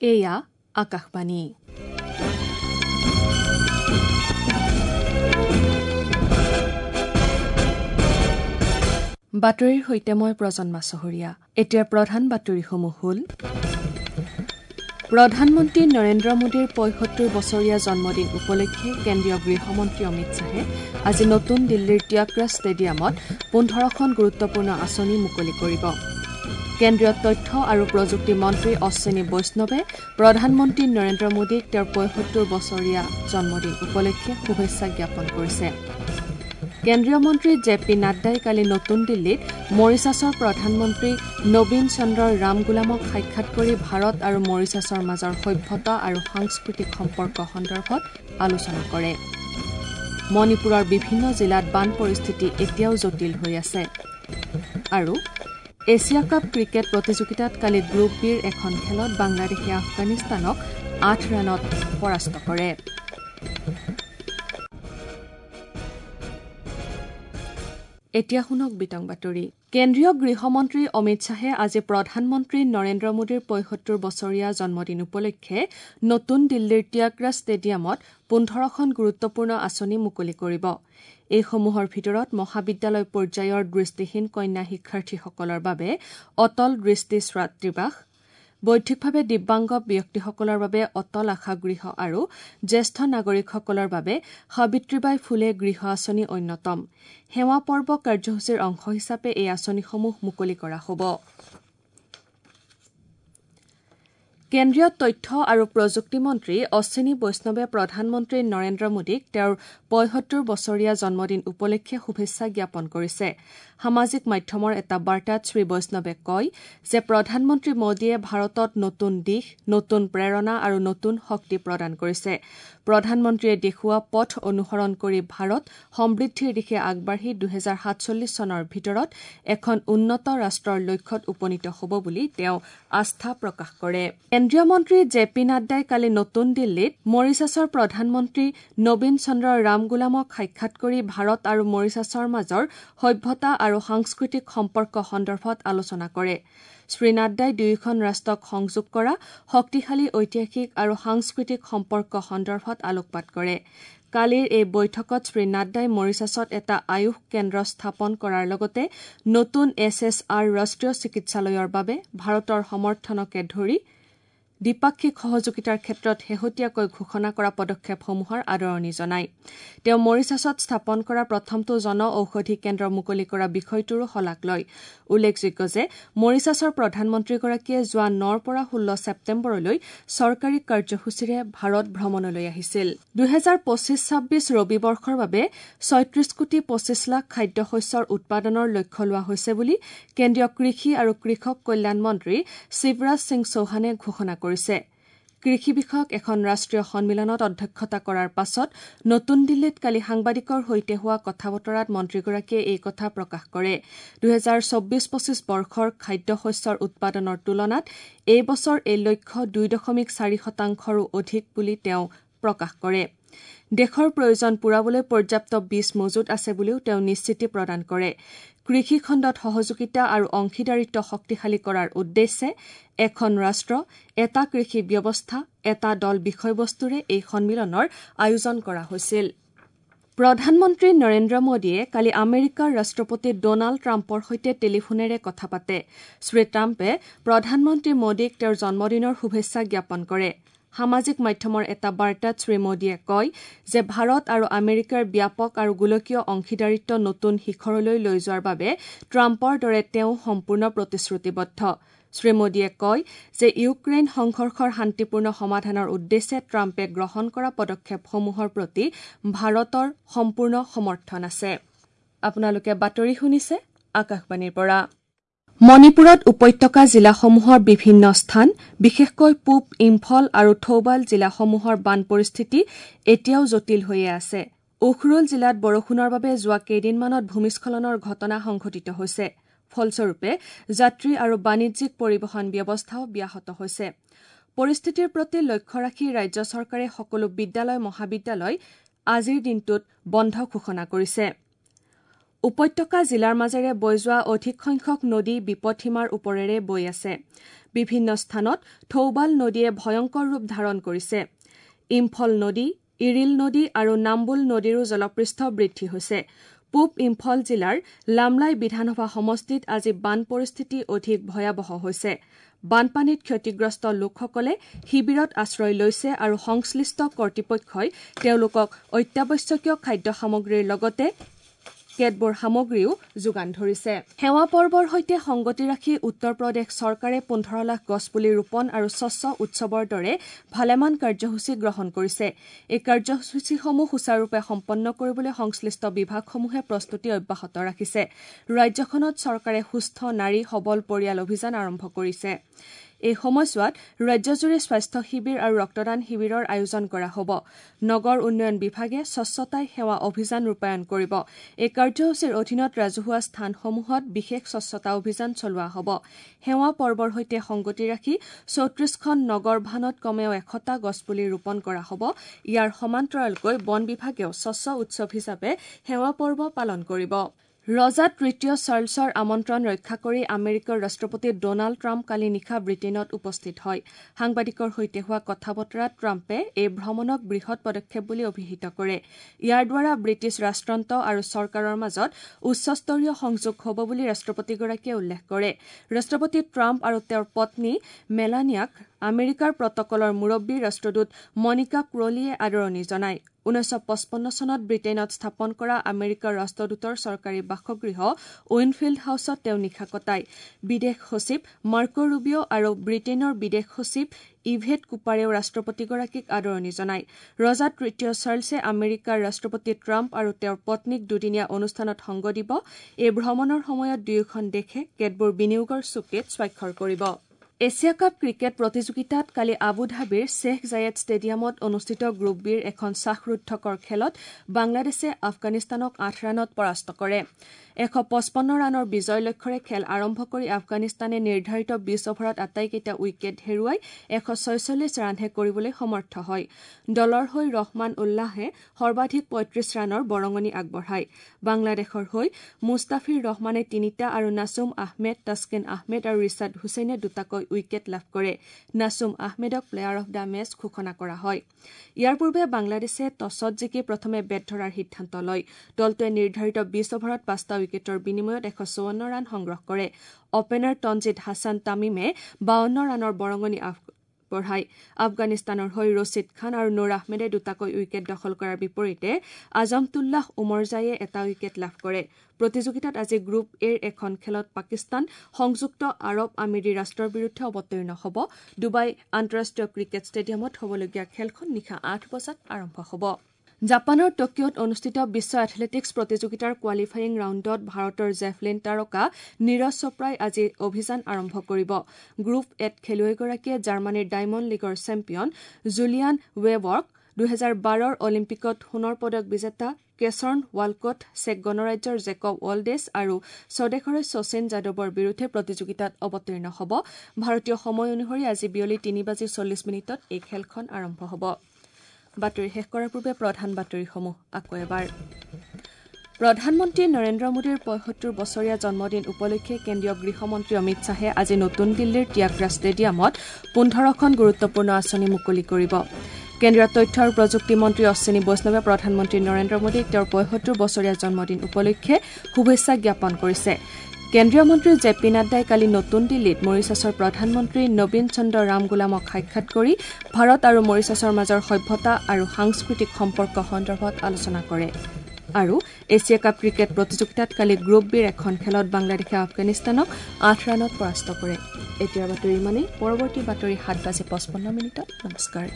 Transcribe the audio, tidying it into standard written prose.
এয়া আকাশবাণী। বাতৰিৰ সৈতে মই প্ৰজন্মা চহৰীয়া। এতিয়াৰ প্ৰধান বাতৰিসমূহ হ'ল: প্ৰধানমন্ত্ৰী নৰেন্দ্ৰ মোদীৰ ৭৫ বছৰীয়া জন্মদিন উপলক্ষে কেন্দ্ৰীয় গৃহমন্ত্ৰী অমিত শ্বাহে আজি নতুন দিল্লীৰ ত্যাগৰাজ ষ্টেডিয়ামত ১৫খন গুৰুত্বপূৰ্ণ আঁচনি মুকলি কৰিব। কেন্দ্ৰীয় তথ্য আৰু প্ৰযুক্তি মন্ত্ৰী অশ্বিনী বৈষ্ণৱে প্ৰধানমন্ত্ৰী নৰেন্দ্ৰ মোদীক তেওঁৰ ৭৫ বছৰীয়া জন্মদিন উপলক্ষে শুভেচ্ছা জ্ঞাপন কৰিছে। কেন্দ্ৰীয় মন্ত্ৰী জে পি নাড্ডাই কালি নতুন দিল্লীত মৰিছাছৰ প্ৰধানমন্ত্ৰী নবীন চন্দ্ৰ ৰামগুলামক সাক্ষাৎ কৰি ভাৰত আৰু মৰিছাছৰ মাজৰ সভ্যতা আৰু সাংস্কৃতিক সম্পৰ্ক সন্দৰ্ভত আলোচনা কৰে। মণিপুৰৰ বিভিন্ন জিলাত বান পৰিস্থিতি এতিয়াও জটিল হৈ আছে। আৰু এছিয়া কাপ ক্ৰিকেট প্ৰতিযোগিতাত কালি গ্ৰুপ বিৰ এখন খেলত বাংলাদেশে আফগানিস্তানক ৮ ৰানত পৰাস্ত কৰে। এতিয়া শুনক বিতং বাতৰি। কেন্দ্ৰীয় গৃহমন্ত্ৰী অমিত শ্বাহে আজি প্ৰধানমন্ত্ৰী নৰেন্দ্ৰ মোদীৰ ৭৫ বছৰীয়া জন্মদিন উপলক্ষে নতুন দিল্লীৰ ত্যাগৰাজ ষ্টেডিয়ামত ১৫খন গুৰুত্বপূৰ্ণ আঁচনি মুকলি কৰিব। এইসমূহৰ ভিতৰত মহাবিদ্যালয় পৰ্যায়ৰ দৃষ্টিহীন কন্যা শিক্ষাৰ্থীসকলৰ বাবে অটল দৃষ্টি ছাত্ৰীবাস, বৌদ্ধিকভাৱে দিব্যাংগ ব্যক্তিসকলৰ বাবে অটল আশাগৃহ আৰু জ্যেষ্ঠ নাগৰিকসকলৰ বাবে সাবিত্ৰীবাই ফুলে গৃহ আঁচনি অন্যতম। সেৱা পৰ্ব কাৰ্যসূচীৰ অংশ হিচাপে এই আঁচনিসমূহ মুকলি কৰা হ'ব। কেন্দ্ৰীয় তথ্য আৰু প্ৰযুক্তি মন্ত্ৰী অশ্বিনী বৈষ্ণৱে প্ৰধানমন্ত্ৰী নৰেন্দ্ৰ মোদীক তেওঁৰ ৭৫ বছৰীয়া জন্মদিন উপলক্ষে শুভেচ্ছা জ্ঞাপন কৰিছে। সামাজিক মাধ্যমৰ এটা বাৰ্তাত শ্ৰী বৈষ্ণৱে কয় যে প্ৰধানমন্ত্ৰী মোদীয়ে ভাৰতত নতুন দিশ, নতুন প্ৰেৰণা আৰু নতুন শক্তি প্ৰদান কৰিছে। প্ৰধানমন্ত্ৰীয়ে দেখুওৱা পথ অনুসৰণ কৰি ভাৰত সমৃদ্ধিৰ দিশে আগবাঢ়ি ২০৪৭ চনৰ ভিতৰত এখন উন্নত ৰাষ্ট্ৰৰ লক্ষ্যত উপনীত হ'ব বুলি তেওঁ আস্থা প্ৰকাশ কৰে। কেন্দ্ৰীয় মন্ত্ৰী জে পি নাড্ডাই কালি নতুন দিল্লীত মৰিছাছৰ প্ৰধানমন্ত্ৰী নবীন চন্দ্ৰ ৰামগুলামক সাক্ষাৎ কৰি ভাৰত আৰু মৰিছাছৰ মাজৰ সভ্যতা আৰু সাংস্কৃতিক সম্পৰ্ক সন্দৰ্ভত আলোচনা কৰে। শ্ৰী নাড্ডাই দুয়োখন ৰাষ্ট্ৰক সংযোগ কৰা শক্তিশালী ঐতিহাসিক আৰু সাংস্কৃতিক সম্পৰ্ক সন্দৰ্ভত আলোকপাত কৰে। কালিৰ এই বৈঠকত শ্ৰী নাড্ডাই মৰিছাছত এটা আয়ুষ কেন্দ্ৰ স্থাপন কৰাৰ লগতে নতুন এছ এছ আৰ ৰাষ্ট্ৰীয় চিকিৎসালয়ৰ বাবে ভাৰতৰ সমৰ্থনকে ধৰি দ্বিপাক্ষিক সহযোগিতাৰ ক্ষেত্ৰত শেহতীয়াকৈ ঘোষণা কৰা পদক্ষেপসমূহৰ আদৰণি জনায়। তেওঁ মৰিছাছত স্থাপন কৰা প্ৰথমটো জন ঔষধি কেন্দ্ৰ মুকলি কৰা বিষয়টোৰো শলাগ লয়। উল্লেখযোগ্য যে মৰিছাছৰ প্ৰধানমন্ত্ৰীগৰাকীয়ে যোৱা ৯ৰ পৰা ১৬ ছেপ্টেম্বৰলৈ চৰকাৰী কাৰ্যসূচীৰে ভাৰত ভ্ৰমণলৈ আহিছিল। ২০২৫-২৬ ৰবি বৰ্ষৰ বাবে ৩৬ কোটি ২৫ লাখ খাদ্যশস্যৰ উৎপাদনৰ লক্ষ্য লোৱা হৈছে বুলি কেন্দ্ৰীয় কৃষি আৰু কৃষক কল্যাণ মন্ত্ৰী শিৱৰাজ সিং চৌহানে ঘোষণা কৰিছে। কৃষি বিষয়ক এখন ৰাষ্ট্ৰীয় সন্মিলনত অধ্যক্ষতা কৰাৰ পাছত নতুন দিল্লীত কালি সাংবাদিকৰ সৈতে হোৱা কথা বতৰাত মন্ত্ৰীগৰাকীয়ে এই কথা প্ৰকাশ কৰে। ২০২৪-২৫ বৰ্ষৰ খাদ্যশস্যৰ উৎপাদনৰ তুলনাত এই বছৰ এই লক্ষ্য ২.৪ শতাংশৰো অধিক বুলি তেওঁ প্ৰকাশ কৰে। দেশৰ প্ৰয়োজন পূৰাবলৈ পৰ্যাপ্ত বীজ মজুত আছে বুলিও তেওঁ নিশ্চিতি প্ৰদান কৰে। কৃষি খণ্ডত সহযোগিতা আৰু অংশীদাৰিত্ব শক্তিশালী কৰাৰ উদ্দেশ্যে এখন ৰাষ্ট্ৰ, এটা কৃষি ব্যৱস্থা, এটা দল বিষয়বস্তুৰে এই সন্মিলনৰ আয়োজন কৰা হৈছিল। প্ৰধানমন্ত্ৰী নৰেন্দ্ৰ মোদীয়ে কালি আমেৰিকাৰ ৰাষ্ট্ৰপতি ডনাল্ড ট্ৰাম্পৰ সৈতে টেলিফোনেৰে কথা পাতে। শ্ৰী ট্ৰাম্পে প্ৰধানমন্ত্ৰী মোদীক তেওঁৰ জন্মদিনৰ শুভেচ্ছা জ্ঞাপন কৰে। সামাজিক মাধ্যমৰ এটা বাৰ্তাত শ্ৰী মোদীয়ে কয় যে ভাৰত আৰু আমেৰিকাৰ ব্যাপক আৰু গোলকীয় অংশীদাৰিত্ব নতুন শিখৰলৈ লৈ যোৱাৰ বাবে ট্ৰাম্পৰ দৰে তেওঁ সম্পূৰ্ণ প্ৰতিশ্ৰুতিবদ্ধ। শ্ৰী মোদীয়ে কয় যে ইউক্ৰেইন সংঘৰ্ষৰ শান্তিপূৰ্ণ সমাধানৰ উদ্দেশ্যে ট্ৰাম্পে গ্ৰহণ কৰা পদক্ষেপসমূহৰ প্ৰতি ভাৰতৰ সম্পূৰ্ণ সমৰ্থন আছে। আপোনালোকে বাতৰি শুনিছে আকাশবাণীৰ পৰা। মণিপুৰত উপত্যকা জিলাসমূহৰ বিভিন্ন স্থান, বিশেষকৈ পূব ইম্ফল আৰু থৌবাল জিলাসমূহৰ বান পৰিস্থিতি এতিয়াও জটিল হৈয়ে আছে। উখৰুল জিলাত বৰষুণৰ বাবে যোৱা কেইদিনমানত ভূমিস্খলনৰ ঘটনা সংঘটিত হৈছে। ফলস্বৰূপে যাত্ৰী আৰু বাণিজ্যিক পৰিবহণ ব্যৱস্থাও ব্যাহত হৈছে। পৰিস্থিতিৰ প্ৰতি লক্ষ্য ৰাখি ৰাজ্য চৰকাৰে সকলো বিদ্যালয় মহাবিদ্যালয় আজিৰ দিনটোত বন্ধ ঘোষণা কৰিছে। উপত্যকা জিলাৰ মাজেৰে বৈ যোৱা অধিক সংখ্যক নদী বিপদসীমাৰ ওপৰেৰে বৈ আছে। বিভিন্ন স্থানত থৌবাল নদীয়ে ভয়ংকৰ ৰূপ ধাৰণ কৰিছে। ইম্ফল নদী, ইৰিল নদী আৰু নাম্বুল নদীৰো জলপৃষ্ঠ বৃদ্ধি হৈছে। পূব ইম্ফল জিলাৰ লামলাই বিধানসভা সমষ্টিত আজি বান পৰিস্থিতি অধিক ভয়াৱহ হৈছে। বানপানীত ক্ষতিগ্ৰস্ত লোকসকলে শিবিৰত আশ্ৰয় লৈছে আৰু সংশ্লিষ্ট কৰ্তৃপক্ষই তেওঁলোকক অত্যাৱশ্যকীয় খাদ্য সামগ্ৰীৰ লগতে কেতবোৰ সামগ্ৰীও যোগান ধৰিছে। সেৱা পৰ্বৰ সৈতে সংগতি ৰাখি উত্তৰ প্ৰদেশ চৰকাৰে 15 লাখ গছপুলি ৰোপণ আৰু স্বচ্ছ উৎসৱৰ দৰে ভালেমান কাৰ্যসূচী গ্ৰহণ কৰিছে। এই কাৰ্যসূচীসমূহ সুচাৰুৰূপে সম্পন্ন কৰিবলৈ সংশ্লিষ্ট বিভাগসমূহে প্ৰস্তুতি অব্যাহত ৰাখিছে। ৰাজ্যখনত চৰকাৰে সুস্থ নাৰী সবল পৰিয়াল অভিযান আৰম্ভ কৰিছে। এই সময়ছোৱাত ৰাজ্যজুৰি স্বাস্থ্য শিবিৰ আৰু ৰক্তদান শিবিৰৰ আয়োজন কৰা হ'ব। নগৰ উন্নয়ন বিভাগে স্বচ্ছতাই সেৱা অভিযান ৰূপায়ণ কৰিব। এই কাৰ্যসূচীৰ অধীনত ৰাজহুৱা স্থানসমূহত বিশেষ স্বচ্ছতা অভিযান চলোৱা হ'ব। সেৱা পৰ্বৰ সৈতে সংগতি ৰাখি 34খন নগৰ ভানত কমেও 100টা গছপুলি ৰোপণ কৰা হ'ব। ইয়াৰ সমান্তৰালকৈ বন বিভাগেও স্বচ্ছ উৎসৱ হিচাপে সেৱা পৰ্ব পালন কৰিব। ৰজা তৃতীয় চাৰ্লছৰ আমন্ত্ৰণ ৰক্ষা কৰি আমেৰিকাৰ ৰাষ্ট্ৰপতি ডনাল্ড ট্ৰাম্প কালি নিশা ব্ৰিটেইনত উপস্থিত হয়। সাংবাদিকৰ সৈতে হোৱা কথা বতৰাত ট্ৰাম্পে এই ভ্ৰমণক বৃহৎ পদক্ষেপ বুলি অভিহিত কৰে। ইয়াৰ দ্বাৰা ব্ৰিটিছ ৰাষ্ট্ৰযন্ত্ৰ আৰু চৰকাৰৰ মাজত উচ্চস্তৰীয় সংযোগ হ'ব বুলি ৰাষ্ট্ৰপতিগৰাকীয়ে উল্লেখ কৰে। ৰাষ্ট্ৰপতি ট্ৰাম্প আৰু তেওঁৰ পত্নী মেলানিয়াক আমেৰিকাৰ প্ৰটকলৰ মুৰব্বী ৰাষ্ট্ৰদূত মনিকা ক্ৰলিয়ে আদৰণি জনায়। 1955 চনত ব্ৰিটেইনত স্থাপন কৰা আমেৰিকাৰ ৰাষ্ট্ৰদূতৰ চৰকাৰী বাসগৃহ উইনফিল্ড হাউচত তেওঁ নিশা কটায়। বিদেশ সচিব মাৰ্কো ৰুবিঅ আৰু ব্ৰিটেইনৰ বিদেশ সচিব ইভেট কুপাৰেও ৰাষ্ট্ৰপতিগৰাকীক আদৰণি জনায়। ৰজা তৃতীয় চাৰ্লছে আমেৰিকাৰ ৰাষ্ট্ৰপতি ট্ৰাম্প আৰু তেওঁৰ পত্নীক দুদিনীয়া অনুষ্ঠানত সংগ দিব। এই ভ্ৰমণৰ সময়ত দুয়োখন দেশে কেতবোৰ বিনিয়োগৰ চুক্তিত স্বাক্ষৰ কৰিব। এছিয়া কাপ ক্ৰিকেট প্ৰতিযোগিতাত কালি আবুধাবিৰ শ্বেখ জায়েদ ষ্টেডিয়ামত অনুষ্ঠিত গ্ৰুপ বিৰ এখন শ্বাসৰুদ্ধকৰ খেলত বাংলাদেশে আফগানিস্তানক 8 ৰানত পৰাস্ত কৰে। 155 ৰানৰ বিজয় লক্ষ্যৰে খেল আৰম্ভ কৰি আফগানিস্তানে নিৰ্ধাৰিত 20 অভাৰত আটাইকেইটা উইকেট হেৰুৱাই 146 ৰানহে কৰিবলৈ সমৰ্থ হয়। দলৰ হৈ ৰহমান উল্লাহে সৰ্বাধিক 35 ৰানৰ বৰঙণি আগবঢ়ায়। বাংলাদেশৰ হৈ মুস্তাফিৰ ৰহমানে 3টা আৰু নাছুম আহমেদ, তাস্কিন আহমেদ আৰু ৰিছাদ হুছেইনে দুটাকৈ উইকেট লাভ কৰে। নাছুম আহমেদক প্লেয়াৰ অফ the match ঘোষণা কৰা হয়। ইয়াৰ পূৰ্বে বাংলাদেশে টছত জিকি প্ৰথমে বেট ধৰাৰ সিদ্ধান্ত লয়। দলটোৱে নিৰ্ধাৰিত 20 অভাৰত 5টা উইকেটৰ বিনিময়ত 154 ৰান সংগ্ৰহ কৰে। অপেনাৰ তঞ্জিদ হাছান তামিমে 52 ৰানৰ বৰঙণি আগবঢ়ায়। আফগানিস্তানৰ হৈ ৰছিদ খান আৰু নুৰ আহমেদে দুটাকৈ উইকেট দখল কৰাৰ বিপৰীতে আজমতুল্লাহ উমৰজাইয়ে এটা উইকেট লাভ কৰে। প্ৰতিযোগিতাত আজি গ্ৰুপ এৰ এখন খেলত পাকিস্তান সংযুক্ত আৰৱ আমিৰি ৰাষ্ট্ৰৰ বিৰুদ্ধে অৱতীৰ্ণ হ'ব। ডুবাই আন্তঃৰাষ্ট্ৰীয় ক্ৰিকেট ষ্টেডিয়ামত হ'বলগীয়া খেলখন নিশা 8 বজাত আৰম্ভ হ'ব। জাপানৰ টকিঅ'ত অনুষ্ঠিত বিশ্ব এথলেটিকছ প্ৰতিযোগিতাৰ কোৱালিফায়িং ৰাউণ্ডত ভাৰতৰ জেভলিন তাৰকা নীৰজ চোপ্ৰাই আজি অভিযান আৰম্ভ কৰিব। গ্ৰুপ এত খেলুৱৈগৰাকীয়ে জাৰ্মানীৰ ডায়মণ্ড লীগৰ চেম্পিয়ন জুলিয়ান ৱেবৰ্ক, 2012 অলিম্পিকত সোণৰ পদক বিজেতা কেছৰ্ণ ৱালকট, চেক গণৰাজ্যৰ জেকব ৱালডেছ আৰু স্বদেশৰে শচীন যাদৱৰ বিৰুদ্ধে প্ৰতিযোগিতাত অৱতীৰ্ণ হ'ব। ভাৰতীয় সময় অনুসৰি আজি বিয়লি 3:40 এই খেলখন আৰম্ভ হ'ব। বাতৰি শেষ কৰাৰ পূৰ্বে প্ৰধান বাতৰিসমূহ আকৌ এবাৰ। প্ৰধানমন্ত্ৰী নৰেন্দ্ৰ মোদীৰ 75 বছৰীয়া জন্মদিন উপলক্ষে কেন্দ্ৰীয় গৃহমন্ত্ৰী অমিত শ্বাহে আজি নতুন দিল্লীৰ ত্যাগৰাজ ষ্টেডিয়ামত 15খন গুৰুত্বপূৰ্ণ আঁচনি মুকলি কৰিব। কেন্দ্ৰীয় তথ্য আৰু প্ৰযুক্তি মন্ত্ৰী অশ্বিনী বৈষ্ণৱে প্ৰধানমন্ত্ৰী নৰেন্দ্ৰ মোদীক তেওঁৰ 75 বছৰীয়া জন্মদিন উপলক্ষে শুভেচ্ছা জ্ঞাপন কৰিছে। কেন্দ্ৰীয় মন্ত্ৰী জে পি নাড্ডাই কালি নতুন দিল্লীত মৰিছাছৰ প্ৰধানমন্ত্ৰী নবীন চন্দ্ৰ ৰামগুলামক সাক্ষাৎ কৰি ভাৰত আৰু মৰিছাছৰ মাজৰ সভ্যতা আৰু সাংস্কৃতিক সম্পৰ্ক সন্দৰ্ভত আলোচনা কৰে। আৰু এছিয়া কাপ ক্ৰিকেট প্ৰতিযোগিতাত কালি গ্ৰুপ বিৰ এখন খেলত বাংলাদেশে আফগানিস্তানক 8 ৰানত পৰাস্ত কৰে। এতিয়াৰ বাতৰি ইমানেই। পৰৱৰ্তী বাতৰি 7:55। নমস্কাৰ।